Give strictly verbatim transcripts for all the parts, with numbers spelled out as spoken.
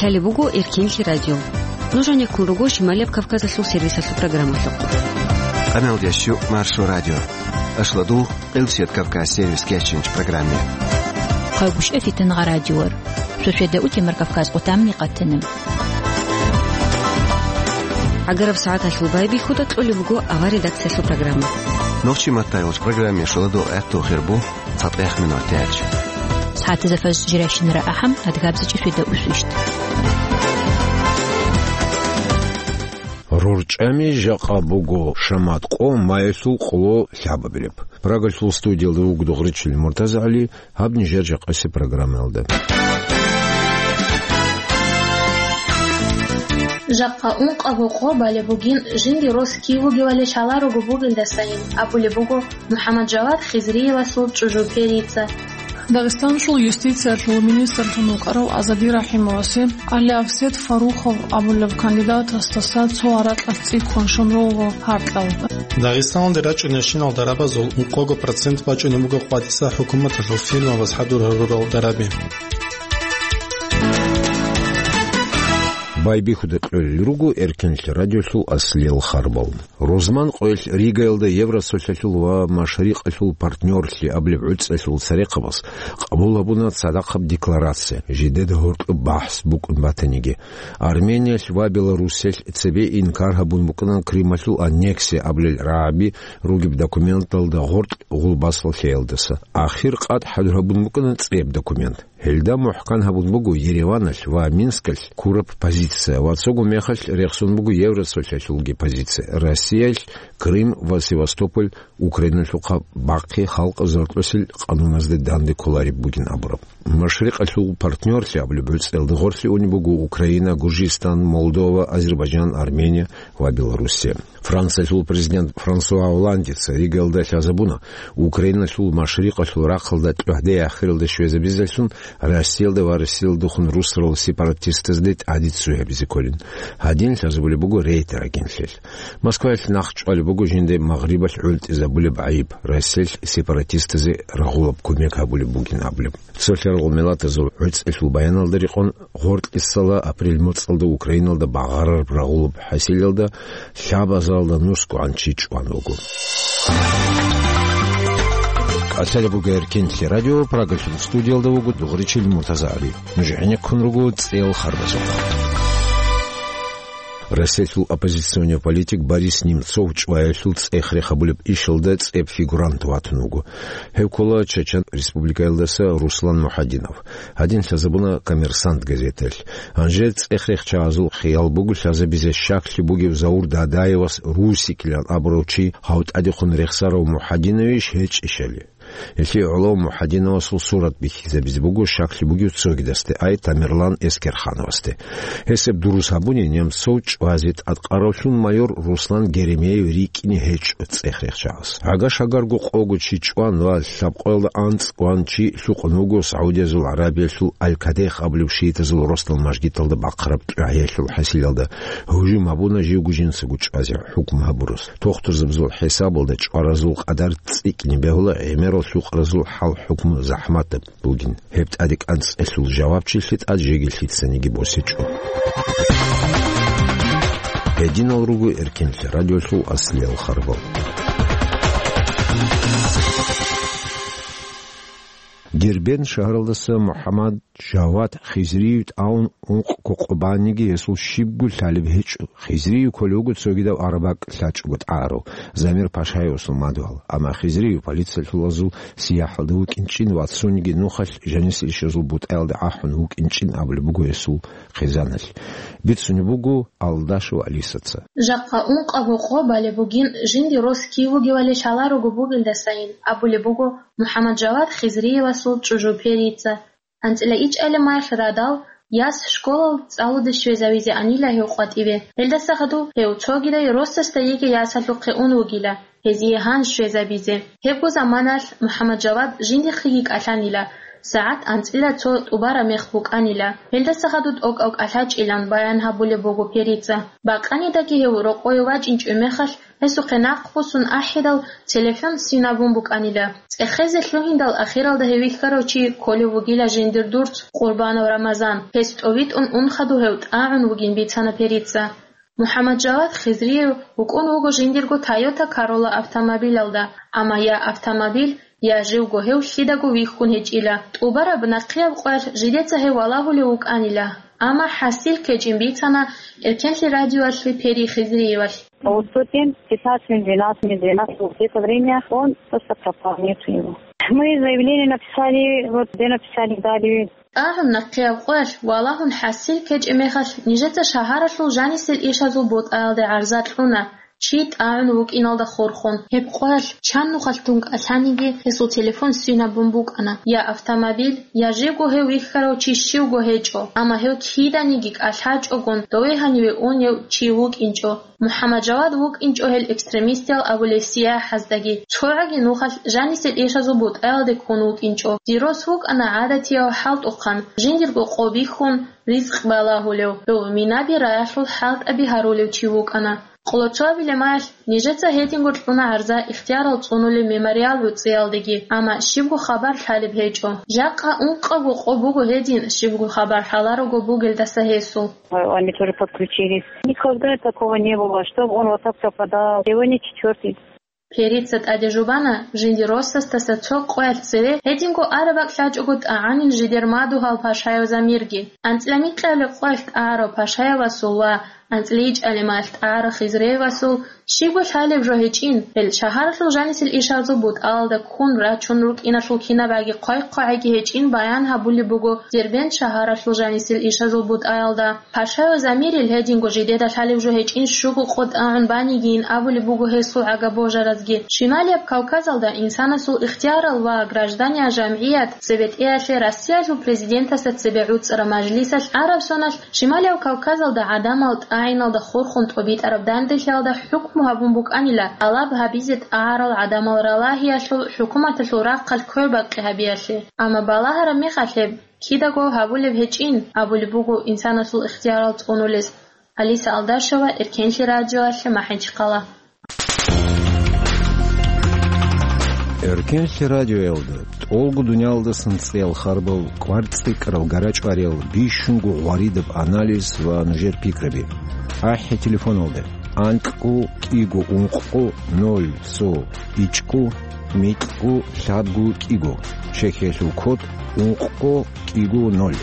Гьале буго Эркинлъи радио. Нуж гьанеккун руго Шималияб Кавказалъул сервисалъул программалъухъ. Къамел ящу Маршо радио. Ашладул Къилсият Кавказ сервис кечинч программе. Хъагуш эфитан гъа радиор. Шошеда утемар Кавказ къутамни къатана. Агараб сагӀаталъул байбихьуда кьолеб буго авар редакциялъул программа. Нохчи маттайолч программе шоладо гӀехту хирбу. Цадгъех минут тяч. СагӀатазда фаз жирайщинара ахӀам, адгабзичӀи фида усвищт. РорчӀами жакъа буго шамат къо майилъул къоло лъабабилеб. Прагалъул студиялда вуго Дугъричил МуртазагӀали, гьаб нижер жакъаси программаялда. Жакъа ункъабго къо балеб бугин жинди рос кив вугевали лъаларого бугелдасайин, абулеб буго МухӀаммаджавад Хизриевасул чӀужу Перица. Дагъистаналъул юстициялъул министрлъун вукӀарав Азади Рахимовасе Али Авсет Фарухов абулеб кандидатасдаса цо гьаракьалъ цӀикӀкӀун щун руго гьаркьал. Дагъистаналде рачӀунебщинал дарабазул ункъого процент бачӀунеб буго къватӀиса хӀукуматалъул фирмабаз хӀадур гьарурал дараби. Байбихьуда кьолел руго Эркинлъи радиолъул аслиял харбал. Рузман къоялъ Ригаялда Евросолъалъул ва Машрикъалъул партнёрлъи абулеб гӀуцӀалъул церехъабаз къабул гьабуна цадахъаб декларация, жидеда гьоркьоб бахӀс букӀун батаниги. Армениялъ ва Белоруссиялъ цебе инкар гьабун букӀана Крымалъул аннексия абулел рагӀаби ругеб документалда гъоркь гъулбасал лъеялдаса. Ахир къад хӀадур гьабун букӀана цӀеб документ. Гьелда мухӀкан гьабун буго Ереваналъ ва Минскалъ ккураб позиция ва цого мехалъ рехсон буго Евросолъалъулги позиция. Россиялъ Крым ва Севастополь Украиналъухъа бахъи халкъ заркьосел къануназде данде кколареб бугин абураб. Машрикъалъул партнёрлъи абулеб гӀуцӀелда гъорлъе унеб буго Украина, Гуржистан, Молдова, Азербайджан, Армения ва Белоруссия. Франциялъул президент Франсуа Олландица Ригаялда лъазабуна, Украиналъул машрикъалъул рахъалда тӀогьде ахиралда щвезабизелъун Россиялда ва Россиялдехун русарал сепаратистазде тӀаде ццу гьабизе кколин. Гьадин лъазабулеб буго Рейтерагенлъиялъ. Москваялъ нахъ чӀвалеб буго жинда Магърибалъ гӀунтӀизабулеб гӀайиб, Россиялъ сепаратистазе рагъулаб кумек гьабулеб бугин абулеб. Цолъарал миллатазул гӀуцӀелъул баяналда рекъон, гъоркьисала апрель моцӀалда Украиналда багъарараб рагъулаб хӀасилалда лъабазаралда нусгогӀан чи чӀван вуго. КӀалъалеб буго Эркинлъи радио, Прагалъул студиялда вуго Дугъричил МуртазагӀали. Нуж гӀенеккун руго цӀеял харбазухъ. Россиялъул оппозиционный политик Борис Немцов чӀваялъул цӀех-рех гьабулеб ишалда цӀеб фигурант ватун вуго. Гьев ккола Чечен Республикаялдаса Руслан Мухьадинов. Гьадин лъазабуна «Коммерсант» газеталъ. Гьанже цӀех-рехчагӀазул хиял буго лъазабизе щаклъи бугев Заур Дадаевас Русикилан абурав чи гьав тӀадехун рехсарав Мухьадиновищ гьечӀищали. Гьелъие гӀоло Мухьадиновасул сурат бихьизабизе буго щаклъи бугев цогидасде, ай Тамерлан Эскерхановасде. Гьесеб дурус гьабуни, Немцов чӀвазе тӀадкъаравлъун майор Руслан Геремеев рикӀкӀине гьечӀо цӀех-рехчагӀас. Гьагаш-гьагарго къого чи чӀван ва лъабкъоялда анцӀ кӀван чи лъукъун вуго Саудиязул ГӀарабиялъул Аль-Кадех абулеб шиитазул росдал мажгиталда бахъараб тӀугӀаялъул хӀасилалда гьужум гьабуна живго жинцаго чӀвазе хӀукму гьабурас. Тохтурзабазул хӀисабалда чӀваразул къадар цӀикӀкӀине бегьула гӀемерал лъукъаразул хӀал-хӀукму захӀматаб бугин. Гьеб тӀаде кӀанцӀелъул жавабчилъи тӀад жеги лъицаниги босичӀо. Гьединал руго Эркинлъи радиолъул аслиял харбал. Дербент шагьаралдаса МухӀаммад Жавад Хизриев тӀаун ункъго къо банниги гьесул щибго лъалеб гьечӀо. Хизриев кколев вуго цогидав араб бакӀ лъачӀого тӀагӀарав Замир Пашаевасул мадугьал, амма Хизриев полициялъулазул сияхӀалда вукӀинчӀин ва цониги нухалъ жанисел ишазул бутӀаялда ахӀун вукӀинчӀин абулеб буго гьесул хъизаналъ. Бицунеб буго Алдашева Алисаца. Жакъа ункъабго къо балеб бугин жинди рос кив вугевали лъаларого бугелдасайин абулеб буго МухӀаммад Жавад Хизриевасул чӀужу Перица. АнцӀила ичӀали майх радал, яс школал цӀалуде щвезавизе анила гьев къватӀиве. Гьелдаса хадув гьев цогидай росасда йиги ясалъухъе ун вугила, гьезие гьан щвезабизе. Гьебго заманалъ МухӀаммад Жавад жиндихъеги кӀалъанила, сагӀат анцӀила цо тӀубараб мех букӀанила. Гьелдаса хадуб тӀокӀав кӀалъачӀилан баян гьабулеб буго Перица. Бакъанидаги гьев рокъове вачӀинчӀеб мехалъ, гьесухъе нахъ босун ахӀидал, телефон синабун букӀанила. ЦӀехезе лъугьиндал ахиралда гьев вихьарав чи кколев вугила жиндир дурц Къурбанов Рамазан. Гьес тӀовитӀун ун хадуб гьев тӀагӀун вугин бицана Перица. МухӀаммаджавад Хизриев вукӀун вуго жиндирго Toyota Corolla автомобилалда, амма я автомобиль, я живго гьев лъидаго вихьун гьечӀила. ТӀубараб нахъияб къоялъ жидеца гьев валагьулев вукӀанила, амма хӀасил ккечӀин бицана Эркенлъи радиоялъе Пери Хизриевалъ. По сутям, пятнадцать минут, двенадцать минут, двенадцать минут, вот это время он просто пропал, нету его. Мы заявление написали, вот где написали, дали. ТӀагӀун нахъияб къоялъ валагьун хӀасил ккечӀеб мехалъ, нижеца шагьаралъул жанисел ишазул бутӀаялде гӀарза кьуна, чи тӀагӀун вукӀиналда хурхун. Гьеб къоялъ чан нухалъ тун кӀалъаниги, гьесул телефон синабун букӀана, я автомобиль, я живго гьев вихьарав чи щивго гьечӀо, амма гьев киданиги кӀалъачӀогун дове гьаниве унев чи вукӀинчӀо. МухӀаммаджавад вукӀинчӀо гьел экстремистиял абулеб сияхӀаздаги, цогӀаги нухалъ жанисел ишазул бутӀаялде ккун вукӀинчӀо. Дир рос вукӀана гӀадатияв хӀалтӀухъан, жиндирго къо бихьун, ризкъ балагьулев. Гьев минаби раялъул хӀалтӀаби гьарулев чи вукӀана. Къоло цоабилеб маялъ нижеца гьединго кьуна гӀарза ихтиярал цӀунулеб мемориал гӀуцӀиялдеги, амма щибго хабар лъалеб гьечӀо. Жакъа ункъабго къо буго гьедин, щибго хабар лъаларого бугелдаса гьесул. Они тоже подключились. Никогда такого не было, чтобы он вот так пропадал. Сегодня четвёртый. Перица тӀаде жубана жиндир росасдаса цо къоялъ цеве гьединго араб бакӀ лъачӀого тӀагӀанин жидер мадугьал Пашаев Замирги. АнцӀила микьабилеб къоялъ тӀагӀарав Пашаевасул ва анцӀила ичӀабилеб маялъ тӀагӀарав Хизриевасул щибго лъалеб жо гьечӀин, гьел шагьаралъул жанисел ишазул бутӀаялда ккун рачун рукӀиналъул кинабаги хъвай-хъвагӀиги гьечӀин баян гьабулеб буго Дербент шагьаралъул жанисел ишазул бутӀаялда. Пашаев Замирил гьединго жидеда лъалеб жо гьечӀин щуго къо тӀагӀун банигийин абулеб буго гьесул гӀага-божаразги. Шималияб Кавказалда инсанасул ихтиярал ва граждания жамгӀият цебетӀеялъе Россиялъул президентасда цебе гӀуцӀараб мажлисалъ гӀараб соналъ Шималияб Кавказалда гӀадамал тӀагӀиналда хурхун тӀобитӀараб данделъиялда хӀукму гьабун букӀанила тӀалаб гьабизе тӀагӀарал гӀадамал ралагьиялъул хӀукуматалъул рахъалъ квербакъи гьабиялъе. Амма балагьараб мехалъ гьеб кидаго гьабулеб гьечӀин абулеб буго инсанасул ихтиярал цӀунулес. Алиса Алдашева, Эркенлъи радиоялъе, МахӀичхъала. Эркенлъи радиоялда тӀолго дуниялдасан цӀиял харбал, кӀвар цӀикӀкӀарал, гарачӀвариял, бищунго гъваридаб анализ ва нужер пикраби. АхӀи телефоналда: анкьго кӀиго ункъго ноль цо ичӀго микьго лъабго кӀиго, чехьиялъул код ункъго кӀиго ноль.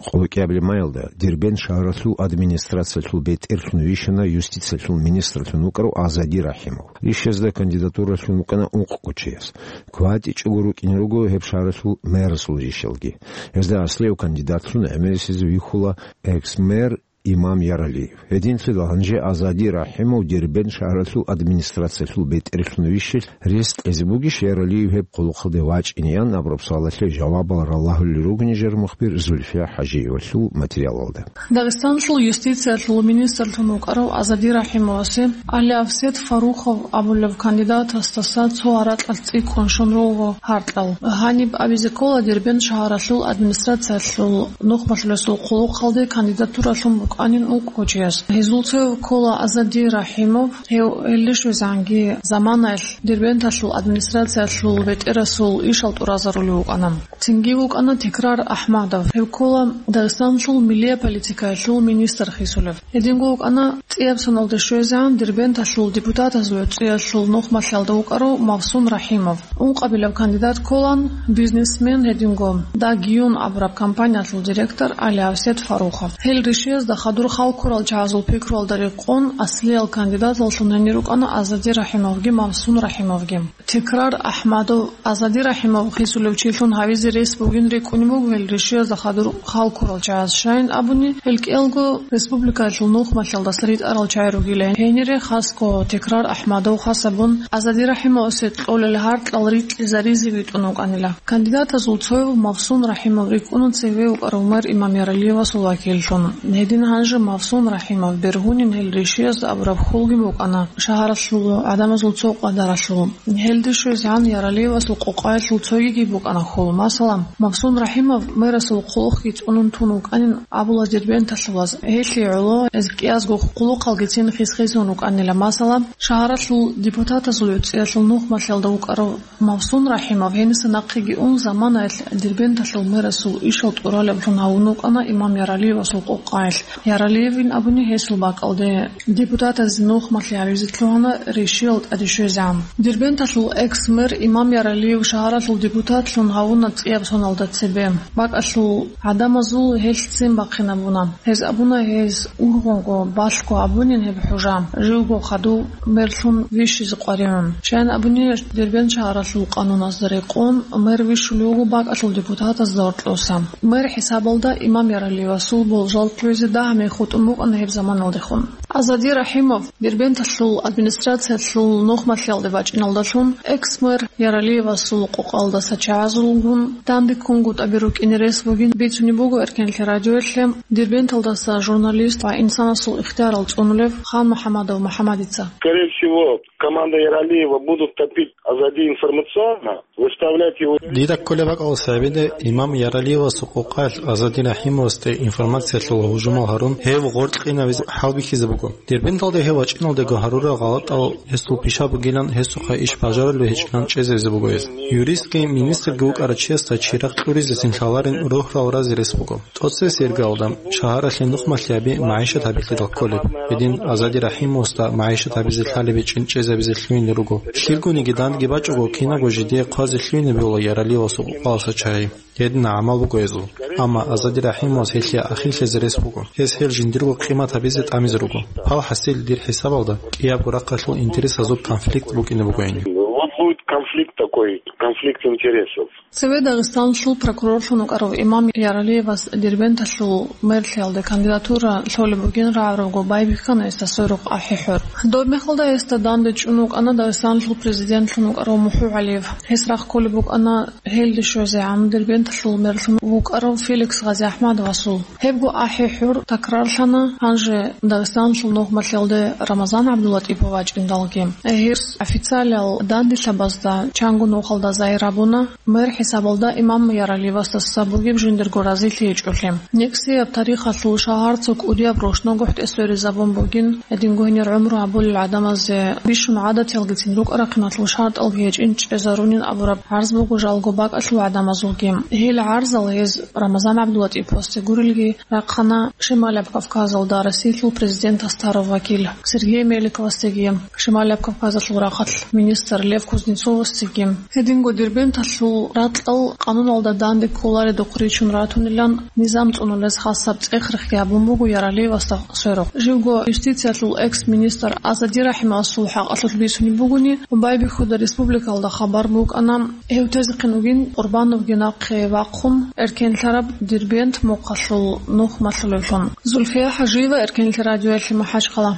Къоло кӀиабилеб маялда Дербент шагьаралъул администрациялъул бетӀерлъун вищана юстициялъул министрлъун вукӀарав Азади Рахимов. Ришазда кандидатура лъун вукӀана ункъго чияс. КватӀичӀого рукӀине руго гьеб шагьаралъул мэрасул ришалги. Гьезда аслияв кандидатлъун гӀемерисезе вихьула экс-мэр Имам Яралиев. Гьединлъидал гьанже Азади Рахимов Дербент шагьаралъул администрациялъул бетӀерлъун вищелъ рес кьезе бугищ Яралиев гьеб къулухъалде вачӀинеян абураб суалалъе жавабал ралагьулел ругин жер мухбир Зульфия ХӀажиевалъул материалалда. Дагъистанлъул юстициялъул министрлъун вукӀарав Азади Рахимовасе Али Авсет Фарухов абулев кандидатасдаса цо гьаракьалъ цӀикӀкӀун щун руго гьаркьал. Гьаниб абизе ккола Дербент шагьаралъул администрациялъул нухмалъулесул хъулухъалде кандидатура лъун букӀанин ункъго чияс. Гьезул цеве ккола Азади Рахимов, гьев гьелде щвезегӀанги заманаялъ Дербенталъул администрациялъул бетӀерасул ишал тӀуразарулев вукӀана. Цинги вукӀана Текрар Ахмадов, гьев ккола Дагъистанлъул миллия политикаялъул министр хисулев. Гьединго вукӀана цӀияб соналда щвезегӀан Дербенталъул депутатазул гӀуцӀиялъул нухмалъалда вукӀарав Мавсун Рахимов. Ункъабилеб кандидат кколан бизнесмен, гьединго Дагиюн абураб компаниялъул директор Али Авсет Фарухов. Гьел ришиязда хадур халкурал чагӀазул пикруялда рекъон аслиял кандидаталлъун гьенир рукӀана Азади Рахимовги Мавсун Рахимовги. Текрар Ахмадов Азади Рахимов хисулев чилъун гьавизе рес бугин рикӀкӀунеб буго гьел ришиязда хадур халкурал чагӀаз, щайин абуни, гьел кӀиялго республикаялъул нухмалъалдаса ритӀарал чагӀи ругилан. Гьенире хасго Текрар Ахмадов хасабун Азади Рахимовасе кьолел гьаркьал рикьизаризе витӀун вукӀанила. Кандидатазул цояв Мавсун Рахимов рикӀкӀуна цеве вукӀарав мэр Имам Яралиевасул вакиллъун. Гьедин Гьанже Мавсун Рахимов бергьунин гьел ришиязда абураб хьулги букӀана шагьаралъул гӀадамазул цо къадаралъул. Гьелде щвезегӀан Яралиевасул къокъаялъул цогиги букӀана хьул. Масала, Мавсун Рахимов мэрасул хъулухъги цӀунун тун вукӀанин абула дербенталъулаз. Гьелъие гӀоло гьез кӀиязго хъулухъалгицин хисхизун вукӀанила. Масала, шагьаралъул депутатазул гӀуцӀиялъул нухмалъиялда вукӀарав Мавсун Рахимов гьениса нахъеги ун заманаялъ Дербенталъул мэрасул ишал тӀуралаблъун гьавун вукӀана имам Яралиевасул къокъаялъ. Яралиевин абуни гьесул бакӀалде депутатазе нухмалъи гьабизе лъугьана ришиял тӀаде щвезегӀан. Дербенталъул экс-мэр имам Яралиев шагьаралъул депутатлъун гьавуна цӀияб соналда цебе. БакӀалъул гӀадамазул гьелъ ццин бахъинабуна. Гьез абуна, гьез ургъунго, балъго абунин гьеб хӀужа, живго хадув мерлъун вищизе къваригӀун. Щайин абуни, Дербент шагьаралъул къануназда рекъон, мэр вищулев вуго бакӀалъул депутатазда гьоркьоса. Мэр хӀисабалда имам Яралиевасул болжал кквезе дагьаб мех хутӀун букӀана гьеб заманалдехун. Азади Рахимов Дербенталъул администрациялъул нухмалъиялде бачӀиналдалъун, экс-мэр Яралиевасул къокъалдаса чагӀазулгун данде ккунгутӀаби рукӀине рес бугин бицунеб буго Эркенлъи радиоялъе Дербенталдаса журналист ва инсанасул ихтиярал цӀунулев Хан МухӀамадов МухӀамадица. Скорее всего, команда Яралиева будут топить Азади информационно, выставлять его. Дида кколеб бакӀалас гьабида, имам Яралиевасул къокъалъ Азади Рахимовасде информациялъул гьужумал гьарун, гьев гъоркь къинавизе хӀалбихьизе буго. Дербенталда гьев вачӀиналдего гьарурал гъалатӀал гьесул пиша бугилан, гьесухъа иш бажарулев гьечӀилан чӀезавизе буго гьез. Юристги министрги вукӀарав чиясда чирагъ кьуризецин лъаларин рогьрал разе рес буго. ТӀоцебесеб иргаялда шагьаралъе нухмалъи гьаби магӀишат гьабилъидал кколеб. Гьедин Азади Рахимовасда магӀишат гьабизе лъалеб гьечӀин чӀезабизе лъугьунел руго. Лъилгониги дандги бачӀого кинабго жидее хъвазе лъугьинаб буго Яралиевасул къокъаласа чагӀи. Гьедин гӀамал буго гьезул. Амма Азади Рахимовас гьелъие ахирлъизе рес буго. Гьес гьел жиндирго къимат гьабизе тӀамизе руго. Пал хӀасил дир хӀисабалда кӀиябго рахъалъул интересазул конфликт букӀине бугони. Вот будет конфликт такой, конфликт интересов. Цеве Дагъистаналъул прокурорлъун вукӀарав имам Яралиевас Дербенталъул мерлъиялде кандидатура лъолеб бугин рагӀарабго байбихьана гьесда сверухъ АхӀи-ХӀур. Доб мехалда гьесда данде чӀун вукӀана Дагъистаналъул президентлъун вукӀарав МухӀу ГӀалиев. Гьес рахъ кколеб букӀана гьелде щвезегӀан Дербенталъул мерлъун вукӀарав Феликс ГъазиахӀмадовасул. Гьебго АхӀи-ХӀур такрарлъана гьанже Дагъистаналъул нухмалъиялде Рамазан ГӀабдуллатӀипов вачӀиндалги. Гьес официалиял данделъабазда чанго нухалда загьир гьабуна, мэр хӀисабалда имам Яралиевасдаса бугеб жиндирго разилъи гьечӀолъи. НекӀсияб тарихалъул шагьар цо кӀудияб рушнагухӀ тӀесверизабун бугин, гьединго гьенир гӀумру гьабулел гӀадамазе бищун гӀадатиялгицин рукӀа-рахъиналъул шартӀалги гьечӀин чӀезарунин абураб гӀарз буго жалго бакӀалъул гӀадамазулги. Гьел гӀарзал гьез Рамазан ГӀабдуллатӀиповасде гурелги рахъана Шималияб Кавказалда Россиялъул президент Астаров вакил Сергей Меликовасдеги, Шималияб Кавказалъул рахъалъ министр Лев Кузнецовасдеги. Гьединго Дербенталъул ракьал къануналда данде кколаредухъ ричун ратунилан низам цӀунулез хасаб цӀех-рехги гьабун буго Яралиевасда сверухъ. Живго юстициялъул экс-министр Азади Рахимовасул хӀакъалъулъ бицунеб бугони, байбихьуда республикалда хабар букӀана, гьев тезехъин вугин Къурбановги нахъе вахъун, эркенлъараб Дербент мухъалъул нухмалъулевлъун. Зульфия ХӀажиева, Эркенлъи радиоялъе, МахӀачхъала.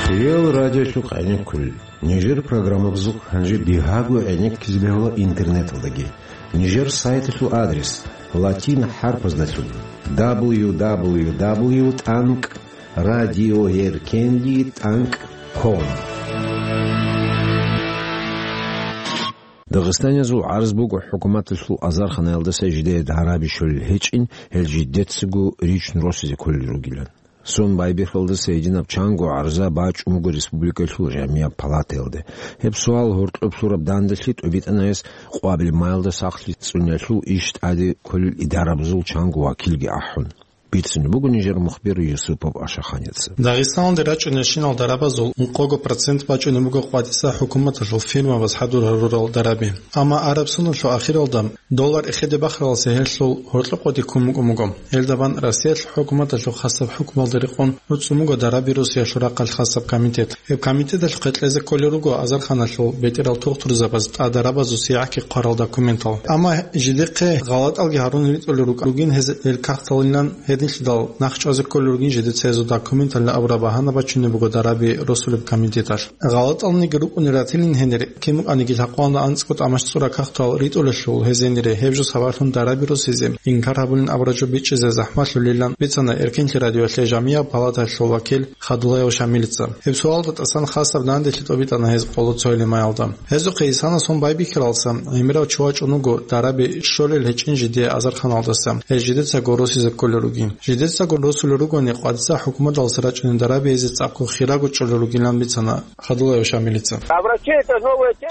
Хириял радиолъухъ гӀенеккулел. Нижер программабазухъ гьанже бигьаго гӀенеккизе бегьула интернеталдаги. Нижер сайталъул адрес латин хӀарпаздалъун: дабл ю дабл ю дабл ю тӀанкӀ радиоэркенлъи тӀанкӀ ком. Дагъистаниязул гӀарз буго хӀукуматалъул азарханаялдаса жидее дараби щолел гьечӀин, гьел жидецаго ричун росизе кколел ругилан. Сон байбихьалдаса гьединаб чанго гӀарза бачӀун буго республикалъул жамияб палатаялде. Гьеб суал гьоркьоб лъураб данделъи тӀубитӀана гьес Къвабил маялда сахлъи цӀуниялъул иш тӀаде кколел идарабазул чанго вакилги ахӀун. Бицунеб буго нижер мухбир Юсупов Ашаханица. Дагъистаналде рачӀунелщинал дарабазул ункъого процент бачӀунеб буго къватӀиса хӀукуматалъул фирмабаз хӀадур гьарурал дараби. Амма араб соналъул ахиралда доллар эхеде бахаралдаса гьелъул гьоркьоб къоди ккун букӀун буго. Гьелда бан Россиялъул хӀукуматалъул хасаб хӀукмуялда рекъон гӀуцӀун буго дараби Россиялъул рахъалъ хасаб комитет. Гьеб комитеталъухъе кьезе кколел руго азарханалъул бетӀерал тухтурзабаз тӀадарабазул сигӀахъги хъварал документал. Амма жидехъе гъалатӀалги гьарун ритӀулел рукӀа-, ругин гьез гьел кагъталилан гьеб Гьединлъидал нахъ чӀвазе кколел ругин жидеца гьезул документалда абураб багьана бачунеб буго дараби росулеб комитеталъ. ГъалатӀалниги рукӀунел ратилин гьенир, кин букӀаниги лъакъвалда анцӀго тӀамачӀцӀураб кагътал ритӀулелъул гьез гьенире гьеб жо сабаблъун дараби росизе инкар гьабулин абураб жо бичӀчӀизе захӀмалъулилан бицана Эркенлъи радиоялъе Жамияб палаталъул вакил Хадулаев Шамилица. Гьеб суалда тӀасан хасаб данделъи тӀобитӀана гьез къоло цойилимаялда. Гьезухъе исана сон байбихьаралса, гӀемерав чи вачӀун вуго дараби щолел гьечӀин жидее азарханалдаса, гьез жидецаго росизе кколел ругин. Жидецаго росулел ругони, къватӀиса хӀукуматалдаса рачӀунел дараби гьезие цӀакъго хирав чӀолел ругилан бицана Хадулаев Шамилица.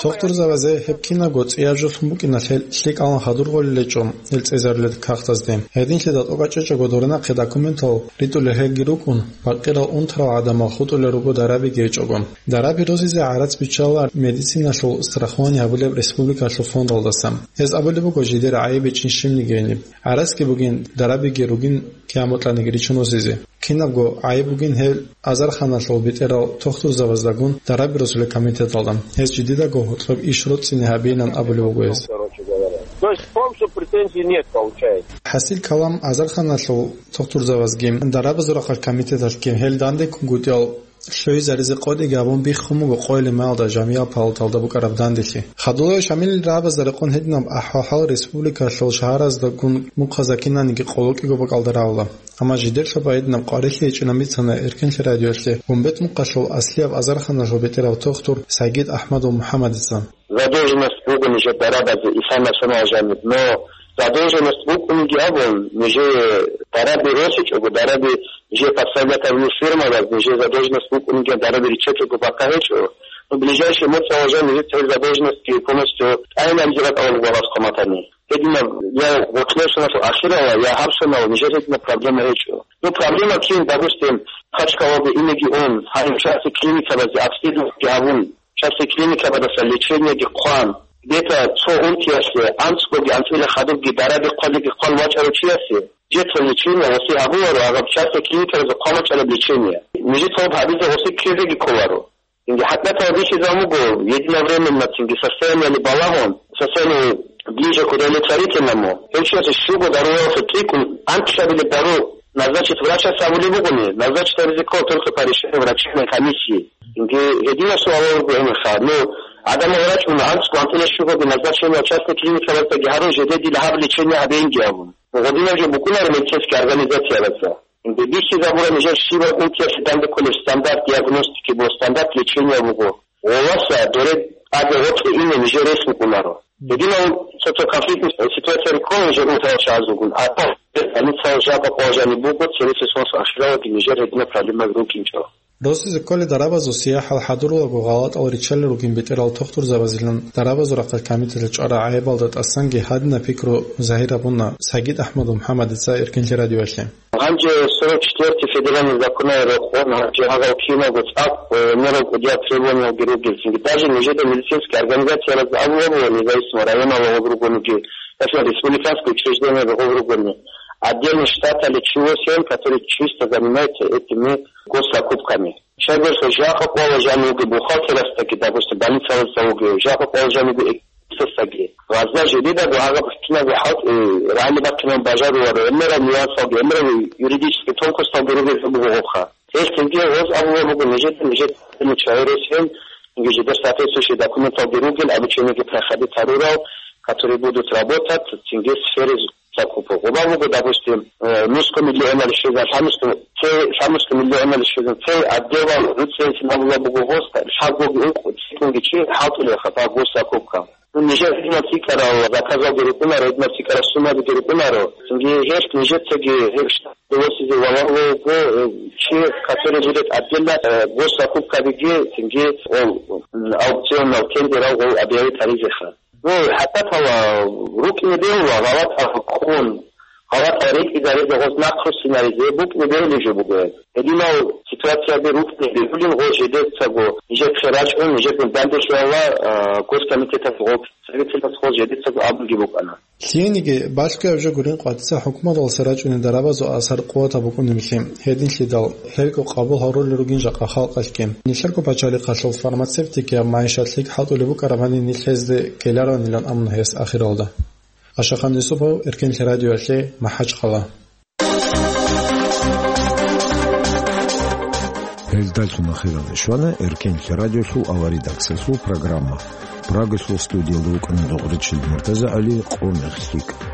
Тохтурзабазе гьеб кинабго цӀияб жолъун букӀиналъе лъикӀалан хадур гъолел гьечӀо гьел цӀезарулел кагътазде. Гьединлъидал тӀокӀаб чӀечӀого доринахъе документал ритӀулел гьелги рукӀун, бакъирал унтарал гӀадамал хутӀулел руго дарабиги гьечӀого. Дараби росизе гӀарац биччала медициналъул страхование гьабулеб республикалъул фондалдаса. Гьез абулеб буго жидер гӀайиб гьечӀин щибниги гьениб. ГӀарацги бугин, дарабиги ругин кияматалданиги ричун росизе. Кинабго гӀайиб бугин гьел азарханалъул бетӀерал тохтурзабаздагун дараби росулел комитеталда. Гьез жидедаго гьоркьоб иш роцӀцӀине гьабейилан абулеб буго гьез. То есть в том, что претензий нет, получается. ХӀасил калам, азарханалъул тохтурзабазги, дарабазул рахъалъ комитеталъги гьел дандеккунгутӀиялъ лъугӀизаризе къотӀиги гьабун биххун буго къойилимаялда Жамияб палаталда букӀараб данделъи. Хадулаев Шамилил рагӀабазда рекъон гьединаб ахӀвал-хӀал республикалъул шагьараздагун мухъазда кинаниги къоло кӀиго бакӀалда рагӀула. Амма жидерлъаб гьединаб къварилъи гьечӀилан бицана Эркенлъи радиоялъе Гумбет мухъалъул аслияб азарханалъул бетӀерав тохтур Сагид Ахмадул МухӀаммадица. Задолженность буго нижер дарабазе, исана санал жаниб, но задолженность букӀунеги абун, нижее дараби росичӀого, дараби нижее подставлять гьабулел фирмалаз, нижее задолженность букӀунеги дараби риччачӀого бакӀа гьечӀо. Ну, ближайший моцӀалъ жан нижеца гьеб задолженностьги полностью тӀайин абизе бакӀалда буго гьаб хъаматани. Гьединаб я гъоркьосаналъул ахирала, я гьабсанал нижер гьединаб проблема гьечӀо. Ну, проблема кин, допустим, Махачкалалде инеги ун, гьаниб частный клиникабазде обследованиеги гьабун, частный клиникабаздаса лечениеги хъван, где-то цо унтиялъе анцӀгоги анцӀила хадубги дараби хъвалиги хъван вачӀарав чиясе, жеца лечение гъосе гьабуларо, гьаб частный клиникабазда хъван вачӀараб лечение. Нижеца гьаб гьабизе гъосе ккезеги кколаро. Цинги хӀакъатал бихьизаб буго, единовременно цинги состояниели балагьун, состояние ближе к удовлетворительному, гьев чиясе щуго дарулалъе цӀикӀкӀун анкьабилеб дару назначить врачас абулеб бугони, назначить гьабизе ккола только по решению врачебной комиссии. Цинги гьединаб суалал руго гьениха. Ну, гӀадамал рачӀуна анцӀго анцӀила щугоги назначение частный клиникабаздаги гьарун, жеде дила гьаб лечение гьабейинги абун. Гъодинаб жо букӀунаро медицинский организациялдаса. Бихьизабура нижер щибаб унтиялъе данде кколеб стандарт диагностики ва стандарт лечения буго. Гъоласа доре тӀаде гъоркье ине нижер рес букӀунаро. Гьединав цо-цо конфликтный ситуация риккола нижер унтиял чагӀазулгун, а больницаялъ жакъа къвал жаниб буго, цересел соналъ ахиралдаги нижер гьединаб проблемаби рукӀинчӀо. Росизе кколел дарабазул сияхӀал хӀадурулаго гъалатӀал риччалел ругин бетӀерал тохтурзабазилан дарабазул рахъалъ комитеталъ чӀварал гӀайибалда тӀасанги гьадинаб пикру загьир гьабуна Сагид Ахмадул МухӀаммадица Эркенлъи радиоялъе. Гьанже сорок четвёртый федеральный законалда рекъон гьанже гьагъал киналго цӀакъ, э, мерал кӀудияб требованиялги ругел. Цинги даже нижеда медицинский организациялазда абулеб буго, независимо районалда гъоб ругониги, ясна республиканский учреждениялда гъоб ругони, отдельный штаталъе чи восемь, который чисто занимается этими госзакупками. Щайгурелъул жакъа къвал жанив вугев бухгалтерасдаги, допустим, больницалазда вугев, жакъа къвал жанив вугев экспертасдаги. Гъазда жидедаго гьагъаб кинабго хӀалтӀи рагӀи бахъинабун бажаруларо, гӀемерал нюансалги, гӀемерал юридический тонкосталги ругел буго гъобха. Гьелъ цинги гъоз абулеб буго нижеда, нижер чагӀи росин, цинги жидер соответствующий документалги ругел, обучениеги проходить гьарурал, которые будут работать, цинги в сфере закупок. Гъоба буго, допустим, э, нусго миллионал щвезан, лъабнусго, цей, лъабнусго миллионал щвезан, цей отделал нуцӀцӀейсин абула буго гъоста, лъабгоги ункъо цикунги чи хӀалтӀулеха гъоб госзакупка. Ну, нижер гьединаб цӀикӀкӀарал заказалги рукӀунаро, гьединаб цӀикӀкӀарал суммабиги рукӀунаро. Цинги гьелъ нижецаги гьеб штат довосизе валагьулев вуго, э, чи, который будет отдельно, э, госзакупкабиги, цинги ол, м, аукционал тендерал гъол объявить гьаризеха. Ну, хӀакъикъаталда рукӀине бегьула, гъалатӀал ккун, гъалатӀал рекӀизаризе гъоз нахъ руссинаризе букӀине бегьулеб жо буго гьеб. Гьединал ситуацияби рукӀине бегьулин гъоз жидецаго, нижехъе рачӀун, нижехъе данделъи гьавула, а, госкомитеталъ гъоз, представительлъас гъоз жидецаго абунги букӀана. Лъиениги, балъгояб жо гурин къватӀиса хӀукуматалдаса рачӀунел дарабазул асар къуватаб букӀунеблъи, гьединлъидал гьелго къабул гьарулел ругин жакъа халкъалъги. Нилъерго пачалихъалъул фармацевтикияб магӀишат лъикӀ хӀалтӀулеб букӀарабани нилъ гьезде ккеларонилан абуна гьес ахиралда. Ашахан Юсупов, Эркенлъи радиоялъе, МахӀачхъала. Гьелдалъун ахиралде щвана Эркенлъи радиолъул аваридаксалъул программа. Прагалъул студиялда вукӀана Дугъричил МуртазагӀали, Къо мех лъикӀ.